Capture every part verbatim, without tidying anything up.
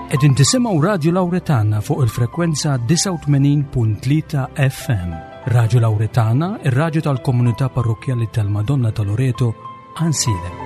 Qegħdin tisimgħu Radio Lauretana fuq il-frekwenza disgħa u tmenin punt tlieta F M. Radio Lauretana, ir-radju tal-komunità parrokkjali tal-Madonna ta' Loreto, Għajnsielem.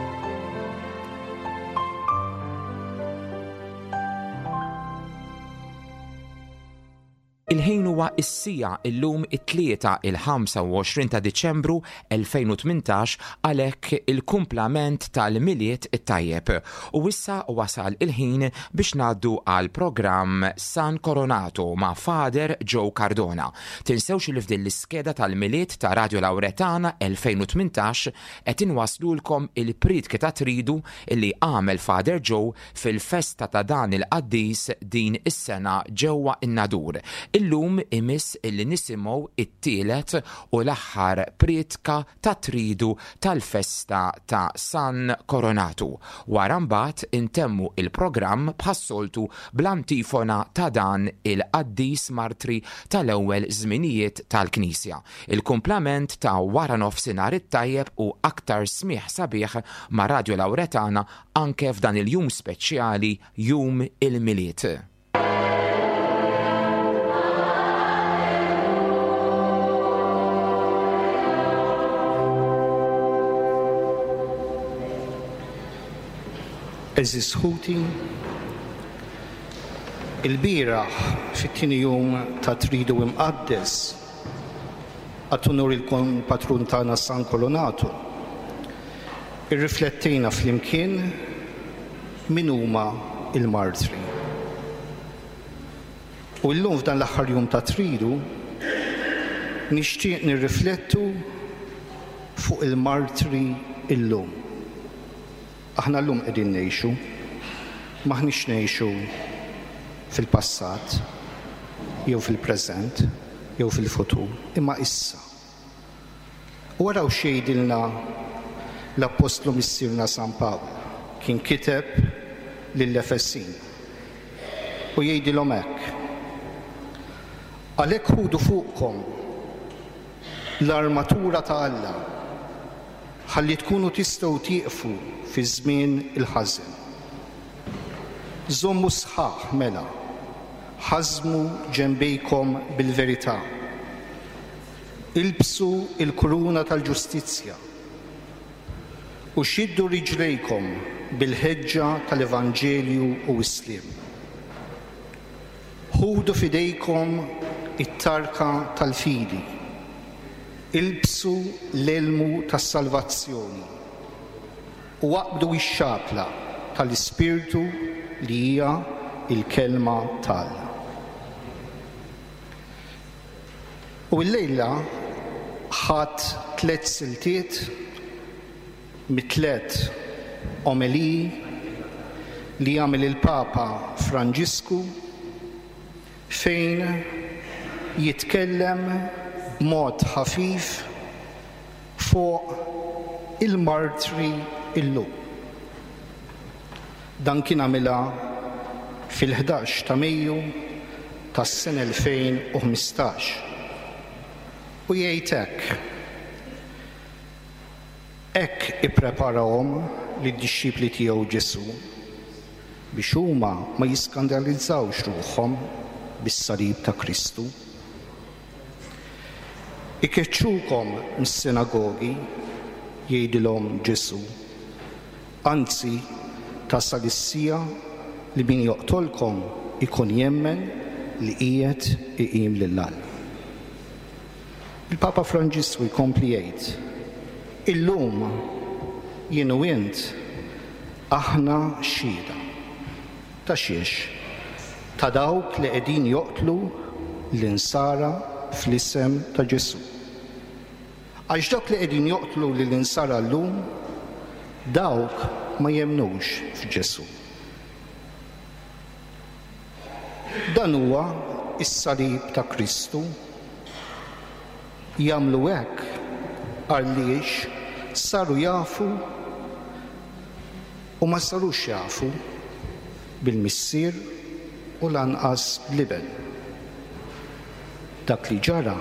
Il-ħin huwa is-siegħa, illum it-Tlieta, il-ħamsa u għoxrin ta' Diċembru elfejn u tmintax, għalhekk il-kumplament tal-Milied it-tajjeb. U issa wasal il-ħin biex ngħaddu għal programm San Coronato ma' Father Joe Cardona. Tinsewx li f'din l-iskeda tal-Milied ta' Radio Lauretana elfejn u tmintax qed inwaslulkom il-priedki ta' Tridu illi għamel Father Joe fil-festa ta' dan il-qaddis din is-sena ġewwa in-Nadur. Illum imiss illi nisimgħu it-tielet u l-aħħar priedka ta' Tridu tal-festa ta' San Coronatu. Wara mbagħad intemmu il-programm bħas-soltu bl-antifona ta' dan il-qaddis martri tal-ewwel żminijiet tal-Knisja. Il-kumplament ta' wara nofsinhar it-tajjeb u aktar smigħ sabiħ ma' Radio Lauretana anke f'dan il-jum speċjali, Jum il-Milied. Għeżież ħuti, il-bieraħ fit-tieni jum ta' Tridu Imqaddes għat unur il-patrun tagħna San Coronato, irriflettejna flimkien min huma il-martri. U llum, f'dan l-aħħar jum ta' Tridu, nixtieq nirriflettu fuq il-martri illum. Aħna llum qegħdin ngħixu, m'aħniex ngħixu fil-passat, jew fil-preżent, jew fil-futur, imma issa. U araw x'jgħidilna l-Apostlu Missierna San Pawl, kien kiteb lill-Efesin. U jgħidilhom hekk: "Għalhekk ħudu fuqkom l-armatura ta' Alla, ħalli tkunu tistgħu tieqfu fi żmien il-ħażen. Żommu sħaħ mela, ħażmu ġenbejkom bil-verità. Ilbsu il-kuruna tal-ġustizzja u xiddu riġlejkom bil-ħeġġa tal-Evanġelju u s-sliem. Ħudu f'idejkom it-tarka tal-fidi, ilbsu l-elmu tas-salvazzjoni u aqbdu x-xapla tal-Ispirtu li hija il-kelma t'Alla." U l-lejla ħadt tliet siltiet mit-tliet omeliji li għamel il-Papa Franġisku, fejn jitkellem b'mod ħafif fuq il-martri illum. Dan kien għamilha fil-ħdax ta' Mejju tas-sena elfejn u ħmistax. U jgħid hekk: "Hekk ippreparahom lid-dixxipli tiegħu Ġesù biex huma ma jiskandalizzawx ruħhom bis-salib ta' Kristu. Ikeċċukom mis-sinagogi, jgħidilhom Ġesù. Anzi, tasal is-siegħa li min joqtolkom ikun jemmen li qiegħed iqim lil Alla." Il-Papa Franġisku jkompli jgħid: "Illum jien u int aħna xhieda. Ta' xiex? Ta' dawk li qegħdin joqtlu l-insara fl-isem ta' Ġesù. Għax dawk li qegħdin joqtlu lill-insara llum, dawk ma jemnux f'Ġesù. Dan huwa is-salib ta' Kristu. Jagħmlu hekk għaliex saru jafu u ma sarux jafu bil-Missier u lanqas bl-Iben. Dak li ġara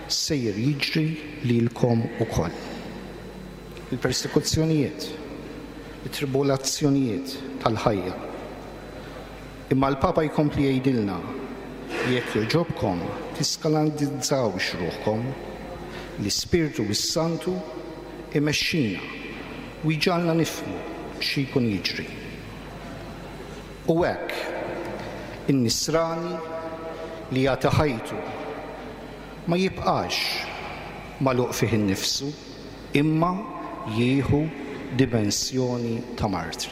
sejjer jiġri lilkom ukoll." Il-persekuzzjonijiet, it-tribulazzjonijiet tal-ħajja Imma l-Papa jkompli jgħidilna, jekk jogħġobkom tiskandalizzawx ruħkom, l-Ispirtu s-Santu imexxina u jġagħalna nifhmu xi jkun jiġri. U hekk in-nisrani li jagħti ħajtu ma jibqax magħluq fih innifsu, imma jieħu dimensjoni ta' martri.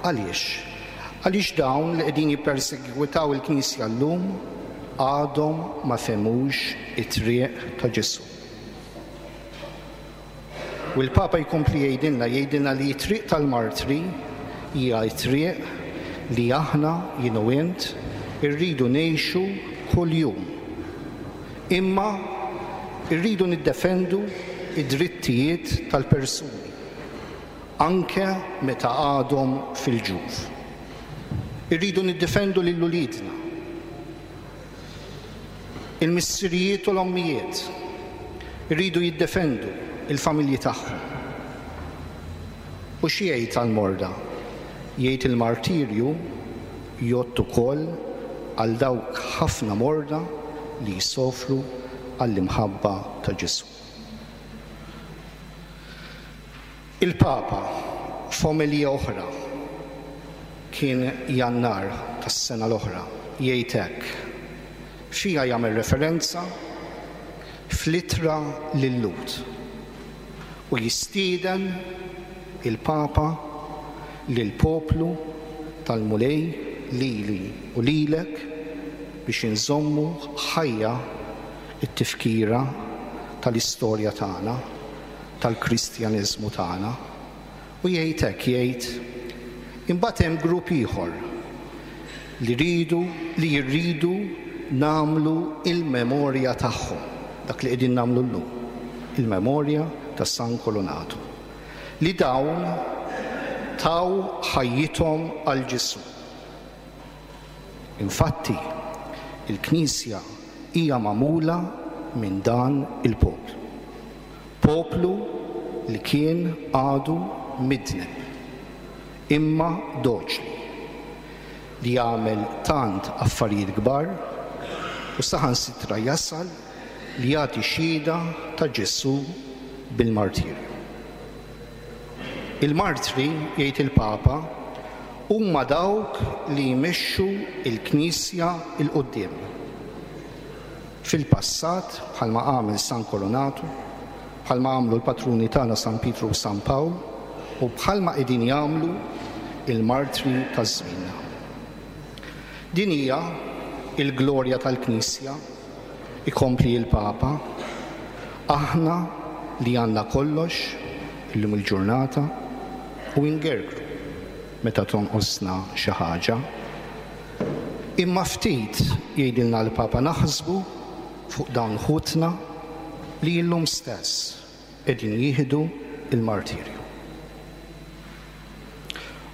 Għaliex? Għaliex dawn li qegħdin jippersegwitaw il-Knisja llum għadhom ma fehmux it-triq ta' Ġesù. U l-Papa jkompli jgħidilna, jgħidilna li t-triq tal-martri hija t-triq li aħna, jien u int, irridu ngħixu kuljum. Imma irridu niddefendu id-drittijiet tal-persuni, anke meta għadhom fil-ġuf. Irridu niddefendu lil uliedna, il-missirijiet u l-ommijiet, irridu jiddefendu il-familji tagħhom. U xi jgħid għall-morda? Jgħid il-martirju jgħod ukoll għal dawk ħafna morda li jsofru għall-imħabba ta' Ġesù. Il-Papa f'omelija oħra kien Jannar tas-sena l-oħra jgħid hekk. Fija jagħmel referenza fl-ittra lil-Lhud u jistieden il-Papa lill-poplu tal-Mulej lili u lilek biex inżommu ħajja it-tifkira tal-istorja tagħna, tal-Kristjaniżmu tagħna. U jgħid hekk, jgħid imbagħad hemm grupp ieħor li rridu li jirridu nagħmlu il-memorja tagħhom, dak li qegħdin nagħmlu llum, il-memorja ta' San Kolonatu, li dawn taw ħajjithom għal Ġesù. Infatti, il-Knisja hija magħmula minn dan il-poplu. Poplu li kien għadu midneb, imma doċli, li jagħmel tant affarijiet kbar u saħansitra jasal li jagħti xhieda ta' Ġesù bil-martirju. Il-martri, jgħid il-Papa, huma dawk li jmexxu il-Knisja 'l quddiem. Fil-passat, bħalma għamel San Kolonatu, bħalma għamlu l-patruni tagħna San Pietru u San Pawl, u bħalma qegħdin jagħmlu il-martri ta' żmienna. Din hija il-glorja tal-Knisja, ikompli il-Papa, aħna li għandna kollox illum il-ġurnata u ingergru meta tonqosna xi ħaġa. Imma ftit jgħidilna l-Papa naħsbu fuq dawn ħutna li illum stess qegħdin jieħdu il-martirju.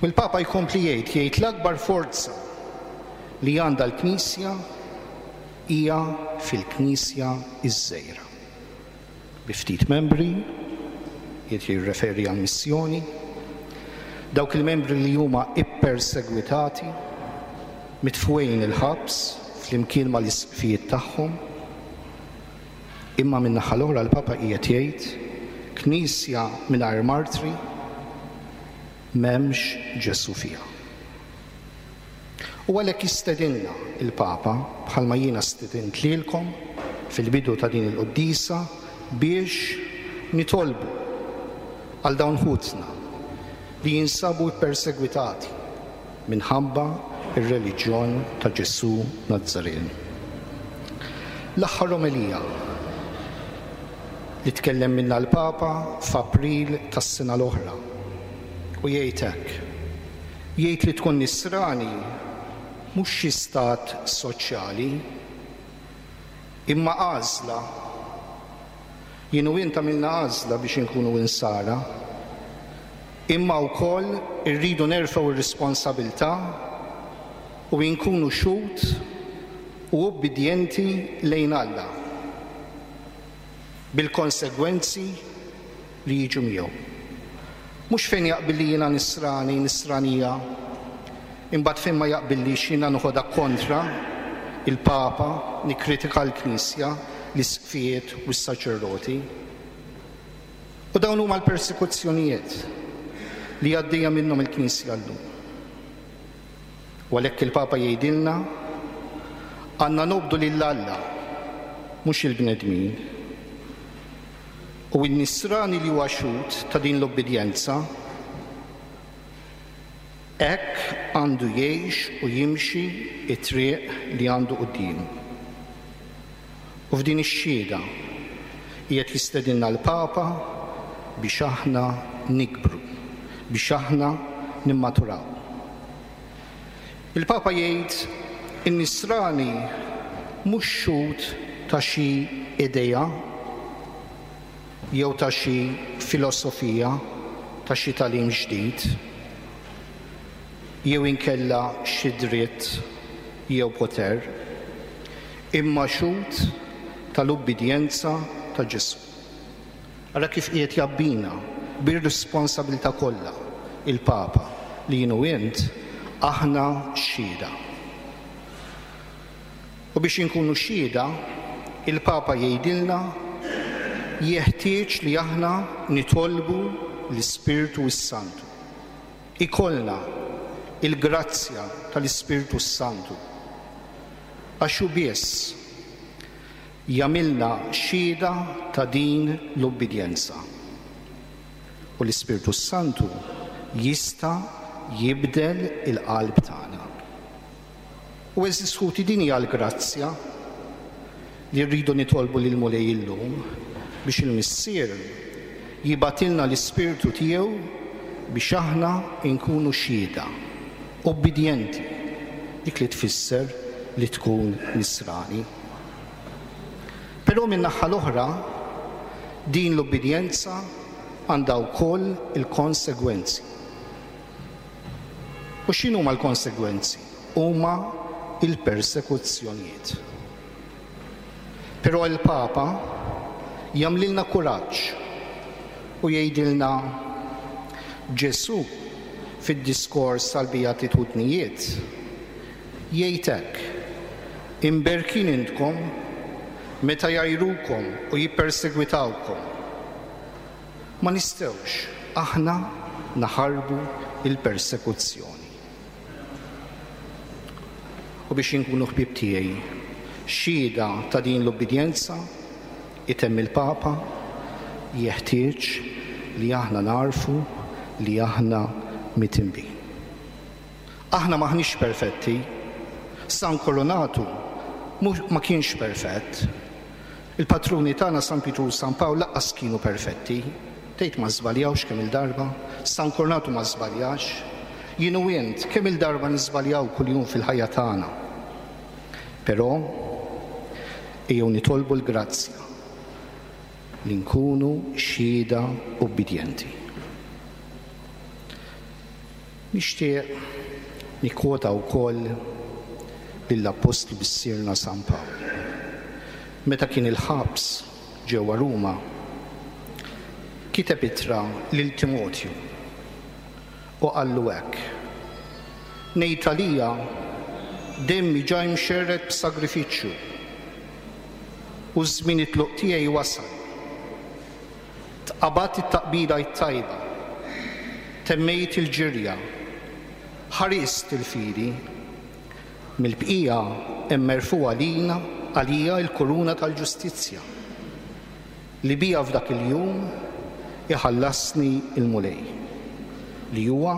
U l-Papa jkompli jgħid, jgħid l-akbar forza li għandha l-Knisja hija fil-Knisja iż-żgħira. Bi ftit membri, jgħid jirreferi għall-missjoni, dawk il-membri li huma ippersegwitati, mitfugħin il-ħabs flimkien mal-isqfijiet tagħhom. Imma min-naħa l-oħra l-Papa qiegħed jgħid Knisja mingħajr martri m'hemmx Ġesù fiha. U għalhekk jistedinna il-Papa, bħalma jiena stedint lilkom fil-bidu ta' din il-quddiesa, biex nitolbu għal dawn ħutna li jinsabu ppersegwitati minħabba ir-reliġjon ta' Ġesù Nazzaren. L-aħħar omelija li tkellem minna l-Papa f'April tas-sena l-oħra u jgħid hekk. Jgħid li tkun nisrani mhux xi stat soċjali, imma għażla. Jien u int għamilna għażla biex inkunu insara, imma wkoll irridu nerfgħu r-responsabilità u nkunu xhud u ubbidjenti lejn Alla bil-konsegwenzi li jiġu miegħu. Mhux fejn jaqbilli jiena nisrani, nisranija, imbagħad fejn ma jaqbillix jiena noħodha kontra il-Papa, nikkritika l-Knisja, l-isqfijiet u s-saċerdoti. U dawn huma l-persekuzzjonijiet li għaddejja minnhom il-Knisja llum. U għalhekk il-Papa jgħidilna għandna nobdu lil Alla, mhux il-bnedmin. U n-nisrani li huwa xhud ta' din l-obbedjenza hekk għandu jgħix u jimxi it-triq li għandu quddiemu. U f'din ix-xhieda qiegħed jistedinna l-Papa biex aħna nikbru, biex aħna nimmaturaw. Il-Papa jgħid in-nisrani mhux xhud ta' xi idea jew ta' xi filosofija, ta' xi tagħlim ġdid, jew inkella xi dritt jew poter, imma xhud tal-ubbidjenza ta' Ġesù. Ara kif qiegħed jabbina bir-responsabilità kollha il-Papa li jien u int aħna xhieda. U biex inkunu xhieda, il-Papa jgħidilna jeħtieġ li aħna nitolbu l-Ispirtu s-Santu. Ikollna il-grazzja tal-Ispirtu s-Santu. Għax hu biss jagħmilna xhieda ta' din l-ubbidjenza. U l-Ispirtu s-Santu jista' jibdel il-qalb tagħna. U għeżież ħuti, din hija l-grazzja li rridu nitolbu lil Mulej illum biex il-Missier jibgħatilna l-Ispirtu tiegħu biex aħna nkunu xhieda, obbedjenti, dik li tfisser li tkun nisrani. Però min-naħa l-oħra, din l-obbedjenza għandha wkoll il-konsegwenzi. U x'inhuma l-konsegwenzi? Huma il-persekuzzjonijiet. Però il-Papa jagħmlilna kuraġġ u jgħidilna Ġesù fid-diskors tal-Beatitudnijiet jgħid hekk: imberkin intkom meta jgħajrukom u jippersegwitawkom. Ma nistgħux aħna naħarbu il-persekuzzjoni. U biex inkunu ħbieb tiegħi xhieda ta' din l-obbedjenza, itemm il-Papa, jeħtieġ li aħna narfu li aħna mitinbin. Aħna maħniex perfetti. San Kolonatu ma kienx perfett. Il-patruni tagħna San Pietru u San Pawl lanqas kienu perfetti. Tgħid ma żbaljawx kemm il-darba, San Kolonatu ma żbaljax. Jien u int kemm il-darba niżbaljaw kuljum fil-ħajja tagħna. Però ejjew nitolbu l-grazzja li nkunu xhieda obbedjenti. Nixtieq nikkwota wkoll lill-Appostlu Missierna San Pawl. Meta kien il-ħabs ġewwa Ruma, kiteb ittra lil Timotju u qallu hekk: ngħid għalija demmi ġa mxerred b'sagrifiċċju u ż-żmien it-tluq tiegħi wasal. Tqabadt it-taqbida t-tajba, temmejt il-ġirja, ħarist il-fidi, mill-bqija hemm merfugħa lina għalija l-kuruna tal-ġustizzja li bija f'dak il-jum iħallasni il-Mulej, li huwa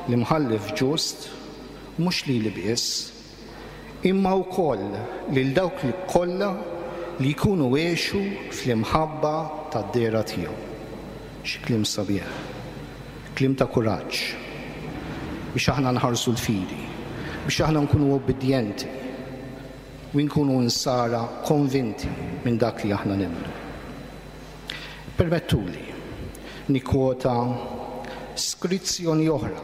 l-imħallef ġust, mhux lili biss, imma wkoll lil dawk li kollha li jkunu għexu fl-imħabba tad-dehra tiegħu. Xi kliem sabiħ, kliem ta' kuraġġ biex aħna nħarsu l-fidi, biex aħna nkunu obbedjenti u nkunu nsara konvinti minn dak li aħna nemmnu. Permettuli nikkwota skrizzjoni oħra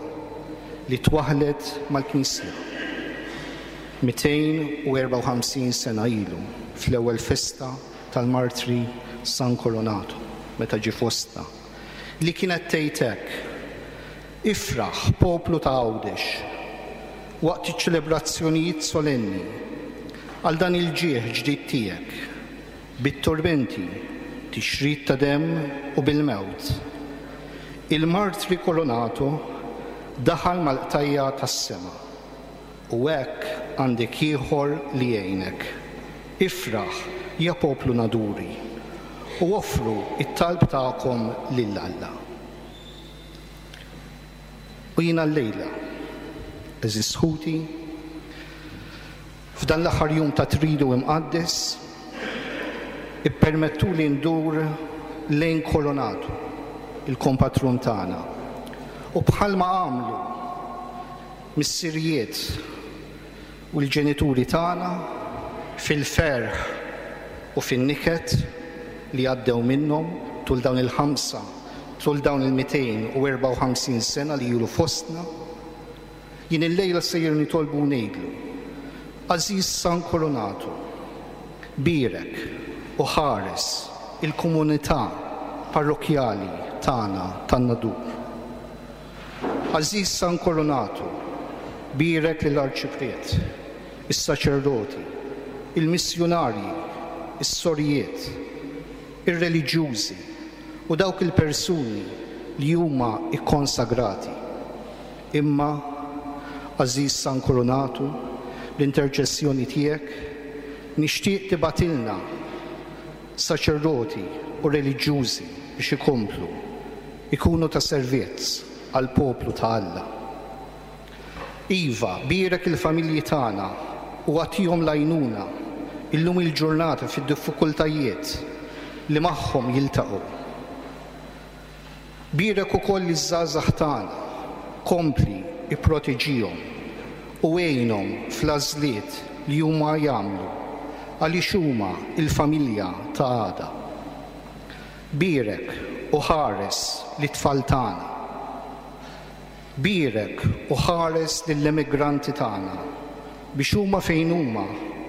li twaħlet mal-Knisja mitejn u erbgħa u ħamsin sena ilu fl-ewwel festa tal-martri San Koronato meta ġie fostna, li kienet tgħid hekk: Ifraħ, poplu ta' Għawdex, waqt iċ-ċelebrazzjonijiet solenni għal dan il-ġieħ ġdid tiegħek, bit-torbenti, tixrid ta' demm u bil-mewt. Il-martri Kolonato daħal mal-qtajja tas-sema u hekk għandek ieħor li jgħinek. Ifraħ, ja poplu Naduri, u offru it-talb tagħkom lil Alla. U jiena llejla, għeżież ħuti, f'dan l-aħħar jum ta' Tridu Imqaddes, ippermettu li ndur lejn Kolonatu, il-kompatrun tagħna. U bħalma għamlu missirijiet u l-ġenituri tagħna fil-ferħ u fin-niket li għaddew minnhom tul dawn il-ħamsa, tul dawn il-mitejn u erbgħa u ħamsin sena li ilu fostna, jien illejla sejjer nitolbu u ngħidlu: Għażiż San Kolonatu, bierek u ħares il-komunità parrokjali tagħna tan-Nadur. Għażiż San Kolonatu, bierek lill-arċipriet, is-saċerdoti, il-missjunarji, is-sorijiet, ir-reliġjużi u dawk il-persuni li huma ikkonsagrati. Imma, għażiż San Kolonatu, l-interċessjoni tiegħek nixtieq tibgħatilna saċerdoti u reliġjużi biex ikomplu ikunu ta' servizz għal poplu ta' Alla. Iva, bierek il-familji tagħna u agħtihom l-għajnuna illum il-ġurnata fid-diffikultajiet li magħhom jiltaqgħu. Bierek ukoll iż-żgħażagħ tagħna, kompli ipproteġihom u għinhom fl-għażliet li huma jagħmlu għaliex huma il-familja ta' għada. Bierek u ħares lit-tfal tagħna. Bierek u ħares lill-emigranti tagħna biex huma fejn huma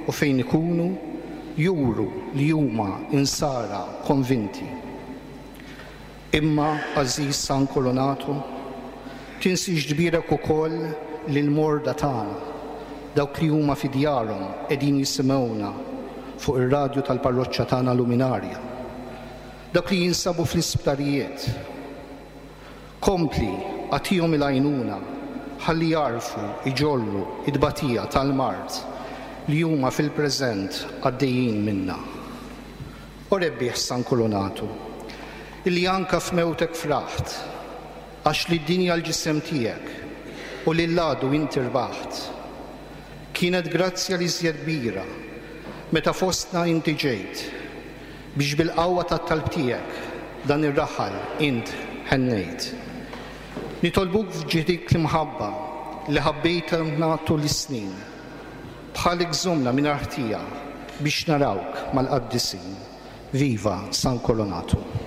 u fejn ikunu juru li huma insara konvinti. Imma, għażiż San Kolonatu, tinsiex tbierek ukoll lill-morda tagħna, dawk li huma fi djarhom qegħdin jisimgħuna fuq ir-radju tal-parroċċa tagħna Luminarja, dawk li jinsabu fl-isptarijiet. Kompli agħtihom il-għajnuna ħalli jarfu iġorru id-batija tal-mard li huma fil-preżent għaddejjin minna. O rebbieħ San Kolonatu, illi anka f'mewtek fraħt, għax li d-dinja l-ġisem tiegħek u lil għadu inti rbaħt. Kienet grazzja li żjed kbira meta fostna inti ġejt biex bil-qawwa tat-talb tiegħek dan ir-raħal int ħennejt. Nitolbuk f'ġieħ l-imħabba li ħabbejtna tul is-snin, bħalek żommna mingħajr ħtija biex narawk mal-qaddisin. Viva San Kolonatu!